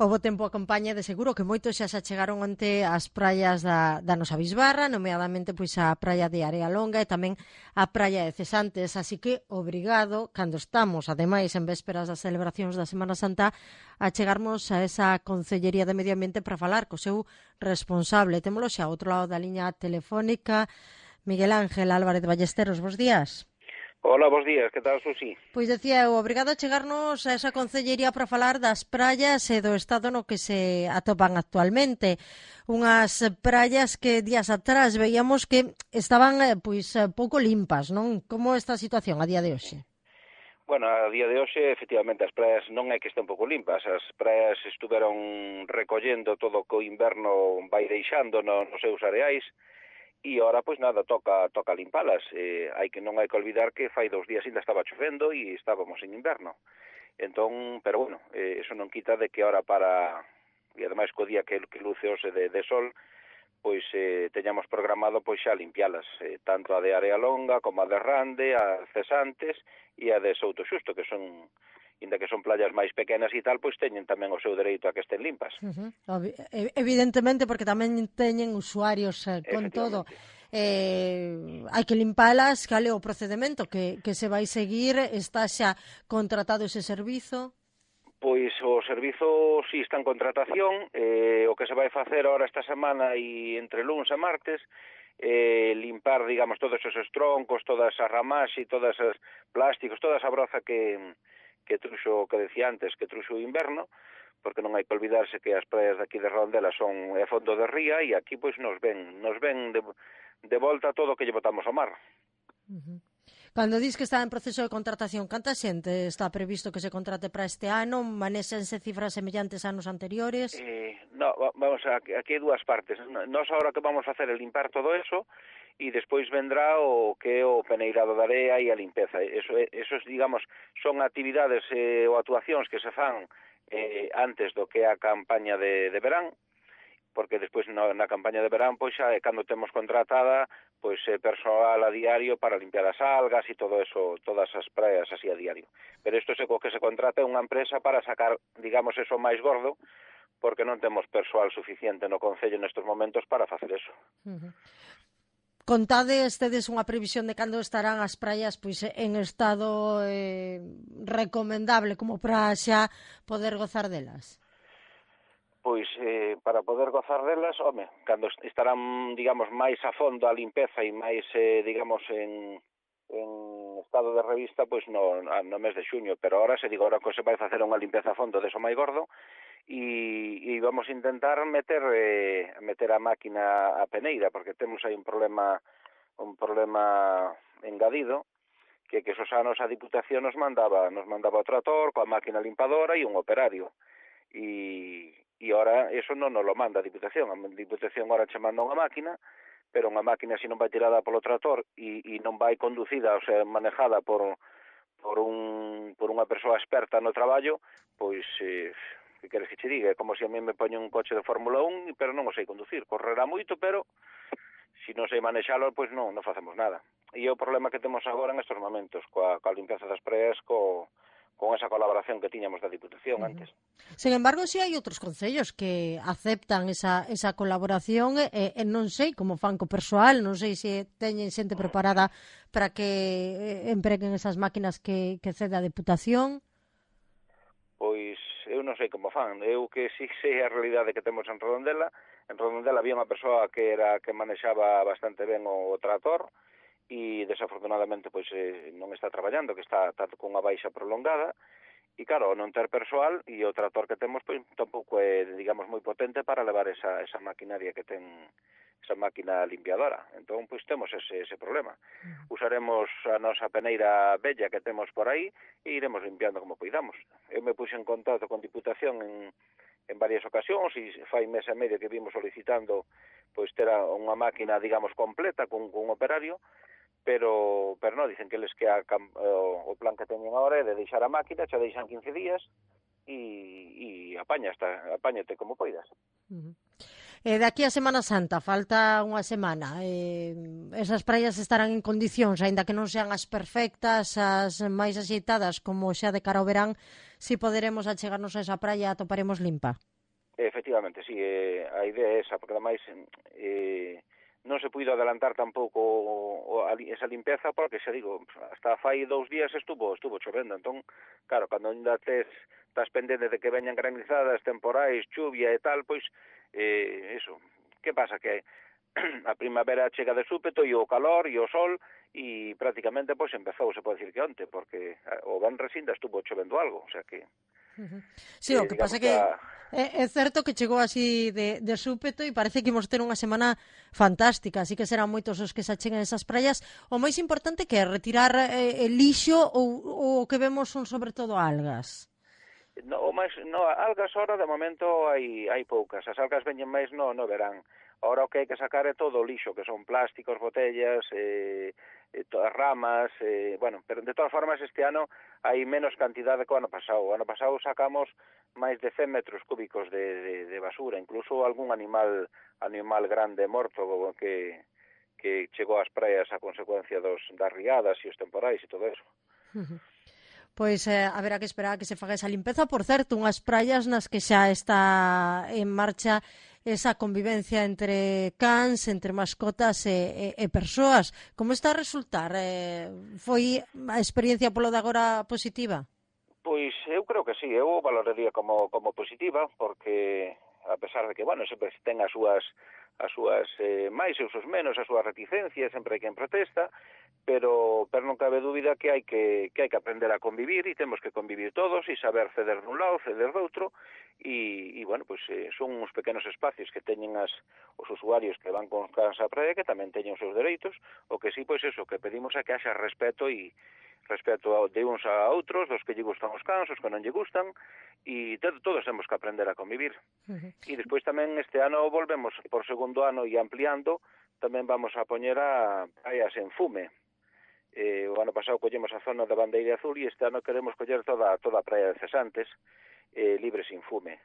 O bo tempo acompaña de seguro que moitos xa se achegaron onte ás praias da nosa Bisbarra, nomeadamente pois a praia de Area Longa e tamén a praia de Cesantes, así que obrigado, cando estamos, ademais, en vésperas das celebracións da Semana Santa, a chegarmos a esa Concellería de Medio Ambiente para falar co seu responsable. Témolo xa ao outro lado da liña telefónica, Miguel Ángel Álvarez Ballesteros, bos días. Hola, bos días, que tal, Susi? Pois decía eu, obrigado a chegarnos a esa concellería para falar das praias e do estado no que se atopan actualmente. Unhas praias que días atrás veíamos que estaban pouco limpas, non? Como está a situación a día de hoxe? Bueno, a día de hoxe, efectivamente, as praias non é que estén pouco limpas. As praias estuveron recollendo todo o que o inverno vai deixando nos seus areais, e ora, pois nada, toca limpalas. Non hai que olvidar que fai 2 días ainda estaba chovendo e estábamos en inverno. Entón, pero bueno, eso non quita de que ora e ademais co día que luce hoxe de sol, pois teñamos programado pois xa limpialas, tanto a de Area Longa como a de Rande, a Cesantes e a de Souto Xusto, que son, inda que son playas máis pequenas e tal, pois teñen tamén o seu dereito a que estén limpas. Evidentemente, porque tamén teñen usuarios con todo. Hai que limpalas, cal é o procedimento que se vai seguir? Está xa contratado ese servizo? Pois o servizo si está en contratación, o que se vai facer ahora esta semana e entre luns e martes, limpar, digamos, todos esos troncos, todas as ramas e todos os plásticos, toda esa broza que truxo, que decía antes, que truxo o inverno, porque non hai que olvidarse que as praias de aquí de Redondela son fondo de ría e aquí pois nos ven de volta todo o que lle botamos ao mar. Cando dis que está en proceso de contratación, canta xente está previsto que se contrate para este ano? Manéxense cifras semellantes a anos anteriores? No, vamos, aquí hai dúas partes. Nós agora que vamos facer é limpar todo eso e despois vendrá o que é o peneirado da area e a limpeza. Esos, digamos, son actividades ou actuacións que se fan antes do que é a campaña de verán, porque despois na campaña de verán pois xa é cando temos contratada pois persoal a diario para limpiar as algas e todo eso, todas as praias así a diario. Pero isto é co que se contrata unha empresa para sacar, digamos, eso máis gordo, porque non temos persoal suficiente no Concello nestes momentos para facer eso. Contades, tedes unha previsión de cando estarán as praias pois en estado recomendable como para xa poder gozar delas? Pois para poder gozar delas, cando estarán, digamos, máis a fondo a limpeza e máis, digamos, en estado de revista, pois no mes de xuño, pero ahora que se vai facer unha limpeza a fondo deso máis gordo, e vamos a intentar meter a máquina a peneira, porque temos aí un problema engadido, que esos anos a Diputación nos mandaba o trator coa máquina limpadora e un operario, e ora eso non nos lo manda a Diputación. A Diputación ora che manda unha máquina, pero unha máquina se non vai tirada polo trator e non vai conducida, ou sea, manejada por unha persoa experta no traballo, pois que queres que che diga? É como se a mí me poñen un coche de Fórmula 1, pero non o sei conducir. Correrá moito, pero se non sei manexalo, pois non facemos nada. E é o problema que temos agora en estes momentos, coa limpeza das praias, con esa colaboración que tiñamos da Diputación antes. Sen embargo, si hai outros concellos que aceptan esa colaboración e non sei como fan co persoal, non sei se teñen xente preparada para que empreguen esas máquinas que cede a Diputación. Pois eu non sei como fan. Eu que si sei a realidade que temos en Redondela. En Redondela había unha persoa que manexaba bastante ben o trator, e desafortunadamente pois non está traballando, que está cunha baixa prolongada, e claro, non ter persoal e o trator que temos pois tampouco é, digamos, moi potente para levar esa maquinaria que ten, esa máquina limpiadora. Entón, pois temos ese problema. Usaremos a nosa peneira bella que temos por aí e iremos limpiando como poidamos. Eu me puxe en contacto con Diputación en varias ocasións e fai mes e medio que vimos solicitando pois ter unha máquina, digamos, completa con un operario, pero non, dicen que eles que o plan que teñen agora é de deixar a máquina, xa deixan 15 días e apáñate como poidas. De aquí a Semana Santa, falta unha semana. Esas praias estarán en condicións, aínda que non sean as perfectas, as máis axeitadas, como xa de cara ao verán, si poderemos achegarnos a esa praia atoparemos limpa. Efectivamente, sí, a idea é esa, porque ademais non se puido adelantar tampouco esa limpeza, porque xa digo, hasta fai 2 días estuvo chovendo, entón, claro, cando ainda estás pendente de que veñan granizadas, temporais, chuvia e tal, pois, eso, que pasa? Que a primavera chega de súpeto e o calor e o sol e prácticamente pois empezou, se pode dicir que onte, porque o venres ainda estuvo chovendo algo, o sea que Sí, o que pasa digamos que é certo que chegou así de súpeto e parece que imos ter unha semana fantástica, así que serán moitos os que se acheguen esas praias. O máis importante que é retirar el lixo ou o que vemos son sobre todo algas. Algas ahora de momento hai poucas, as algas veñen máis no verán. Ahora o que hai que sacar é todo o lixo, que son plásticos, botellas, todas ramas, bueno, pero de todas formas este ano hai menos cantidade que o ano pasado. O ano pasado sacamos máis de 100 metros cúbicos de basura, incluso algún animal grande morto que chegou ás praias a consecuencia das riadas e os temporais e todo eso. Pois haberá que esperar a que se faga esa limpeza. Por certo, unhas praias nas que xa está en marcha esa convivencia entre cans, entre mascotas e persoas. Como está a resultar? Foi a experiencia polo de agora positiva? Pois eu creo que sí, eu valoraría como positiva, porque a pesar de que, bueno, sempre ten as súas máis e os seus menos, as súas reticencias, sempre hai quen protesta, pero non cabe dúbida que hai que aprender a convivir e temos que convivir todos e saber ceder dun lado, ceder do outro e bueno, pues son uns pequenos espacios que teñen os usuarios que van con cans á praia que tamén teñen os seus dereitos, o que sí, pois eso, que pedimos é que haxa respeto de uns a outros, dos que lle gustan os cans, os que non lle gustan, e todos temos que aprender a convivir. E despois tamén este ano volvemos por segundo ano e ampliando, tamén vamos a poñer a praias en fume. O ano pasado collemos a zona da Bandeira Azul e este ano queremos coller toda a praia de Cesantes libre sin fume.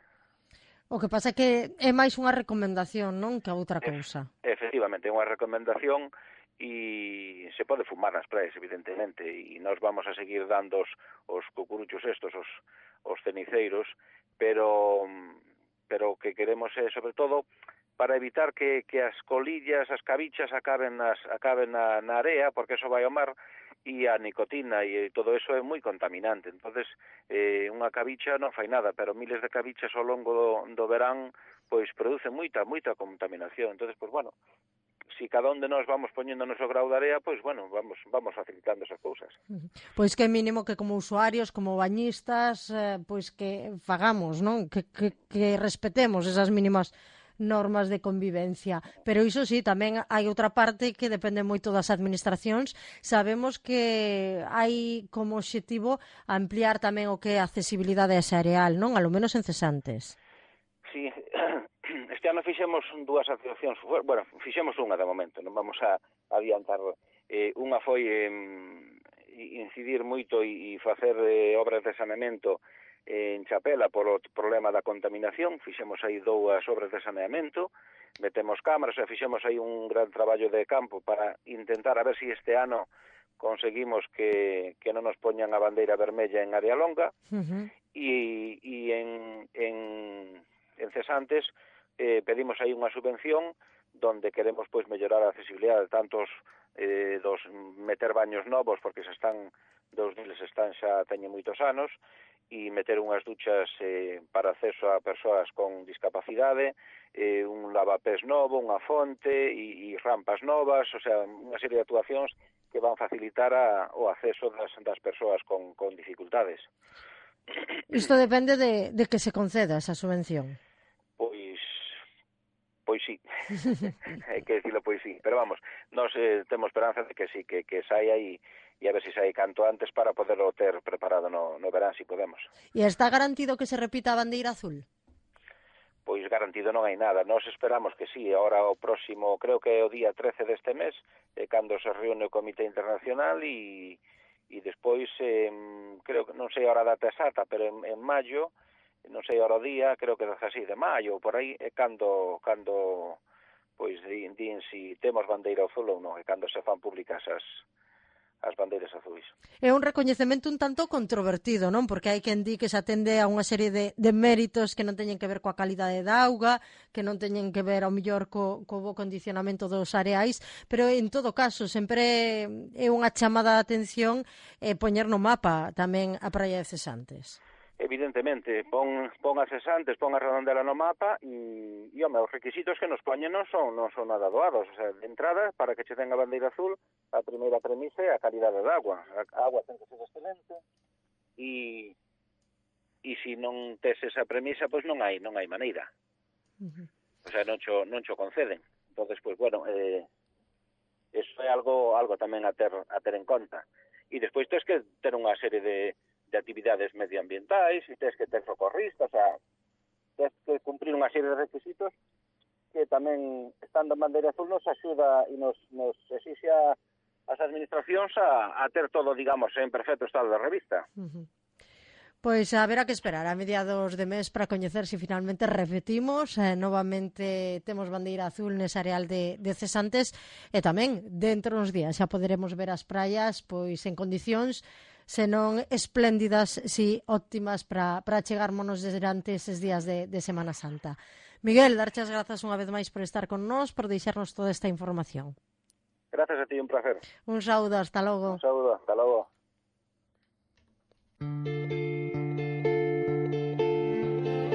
O que pasa é que é máis unha recomendación, non, que a outra cousa. Efectivamente, é unha recomendación e se pode fumar nas praias, evidentemente, e nós vamos a seguir dando os cucuruchos estos, os ceniceiros, pero o que queremos é, sobre todo, para evitar que as colillas, as cabichas acaben na area, porque eso vai ao mar, e a nicotina e todo eso é moi contaminante. Entonces, unha cabicha non fai nada, pero miles de cabichas ao longo do verán pois produce moita contaminación. Entonces, pues bueno, si cada un de nós vamos poñendo o noso grau de area, pois bueno, vamos facilitando esas cousas. Pois que é mínimo que como usuarios, como bañistas, pois que fagamos, non? Que respetemos esas mínimas normas de convivencia. Pero iso sí, tamén hai outra parte que depende moito das administracións. Sabemos que hai como obxectivo ampliar tamén o que é a accesibilidade a ese areal, non? A lo menos en Cesantes. Sí, este ano fixemos dúas actuacións, bueno, fixemos unha de momento, non vamos a adiantar. Unha foi incidir moito e facer obras de saneamento en Chapela polo problema da contaminación. Fixemos aí 2 obras de saneamento, metemos cámaras, fixemos aí un gran traballo de campo para intentar a ver se este ano conseguimos que non nos poñan a bandeira vermella en área longa. E en Cesantes pedimos aí unha subvención donde queremos pois mellorar a accesibilidade tantos dos meter baños novos porque dos deles xa teñen moitos anos e meter unhas duchas para acceso a persoas con discapacidade, un lavapés novo, unha fonte e rampas novas, o sea, unha serie de actuacións que van facilitar o acceso das persoas con dificultades. Isto depende de que se conceda esa subvención. Pois sí, hai que dicilo pois sí, pero vamos, nós temos esperanza de que sí, que saia e a ver se sai canto antes para poderlo ter preparado no verán, si podemos. E está garantido que se repita a bandeira azul? Pois garantido non hai nada, nós esperamos que sí, ahora o próximo, creo que é o día 13 deste mes, cando se reúne o Comité Internacional e despois, creo que non sei a hora data exacta, pero en maio, non sei ahora o día, creo que 16 de maio, por aí, é cando pois din si temos bandeira azul ou non, e cando se fan públicas as bandeiras azuis. É un recoñecemento un tanto controvertido, non? Porque hai quen di que se atende a unha serie de méritos que non teñen que ver coa calidade da auga, que non teñen que ver ao mellor co bo condicionamento dos areais, pero en todo caso sempre é unha chamada de atención poñer no mapa tamén a praia de Cesantes. Evidentemente, pon a Cesantes, pon a Redondela no mapa e home, os requisitos que nos poñen non son nada doados. O sea, de entrada, para que che ten a bandeira azul, a primeira premisa é a calidade da agua. A agua ten que ser excelente e se non tes esa premisa, pois non hai maneira. O sea, non cho conceden. Entonces, pois, bueno, eso é algo tamén a ter en conta. E despois tens que ter unha serie de actividades medioambientais e tens que ter socorristas, o sea, tens que cumprir unha serie de requisitos que tamén, estando en bandeira azul, nos axuda e nos exixe as administracións a ter todo, digamos, en perfecto estado de revista. Pois haberá que esperar a mediados de mes para coñecer se finalmente repetimos, novamente temos bandeira azul nese areal de Cesantes e tamén dentro dos días xa poderemos ver as praias pois en condicións senón espléndidas, si óptimas para chegarmonos durante eses días de Semana Santa. Miguel, darche as grazas unha vez máis por estar con nós, por deixarnos toda esta información. Gracias a ti, un placer. Un saúdo, hasta logo. Un saúdo, hasta logo.